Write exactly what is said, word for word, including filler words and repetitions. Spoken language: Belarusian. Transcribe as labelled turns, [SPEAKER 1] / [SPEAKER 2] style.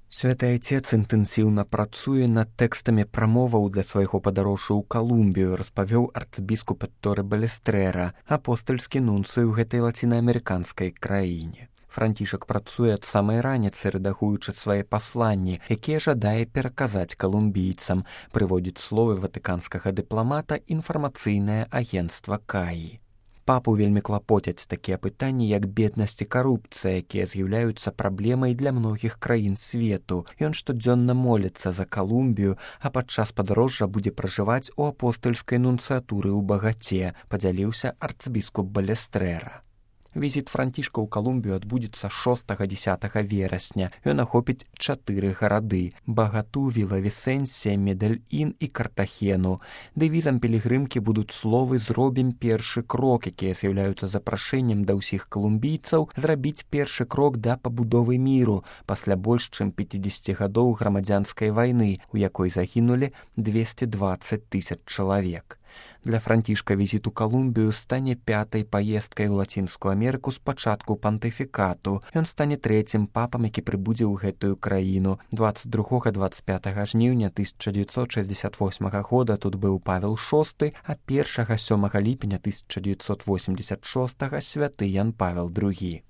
[SPEAKER 1] Святы Айцец інтэнсіўна працуе над тэкстамі прамоваў для свайго падарожжа ў Калумбію, распавёў арцбіскуп Этторэ Балестрера, апостальскі нунцый у гэтай лацінаамерыканскай краіне. Францішак працуе ад самай раніцы, рэдагуючы свае пасланні, якія жадае пераказаць калумбійцам, прыводзіць словы ватыканскага дыпламата інфармацыйнае агенцтва Каі. Папу вельмі клапоцяць такія пытанні, як беднасць і карупцыя, якія з'яўляюцца праблемай для многіх краін свету. Ён штодзённа моліцца за Калумбію, а падчас падарожжа будзе пражываць у апостальскай нунцыятуры ў Багаце, падзяліўся арцбіскуп Балестрэра. Візіт Францішка ў Калумбію адбудзецца шостага-дзесятага верасня. Ён ахопіць чатыры гарады – Багату, Віла-Вісэнсія, Медэль-Ін і Картахену. Дэвізам пілігрымкі будуць словы «Зробім першы крок», якія з'яўляюцца запрашэннем да ўсіх калумбійцаў зрабіць першы крок да пабудовы міру пасля больш чым пяцідзесяці гадоў грамадзянскай вайны, у якой загінулі дзвесце дваццаць тысяч чалавек. Для Францішка візіт у Калумбію стане пятай паездкай у Лацінскую Амерыку з пачатку пантыфікату. Ён стане трэцім папам, які прыбудзе ў гэтую краіну. дваццаць другога - дваццаць пятага жніўня тысяча дзевяцьсот шэсцьдзесят восьмага года тут быў Павел шосты, а першага - сёмага ліпеня тысяча дзевяцьсот восемьдесят шостага святы Ян Павел другі.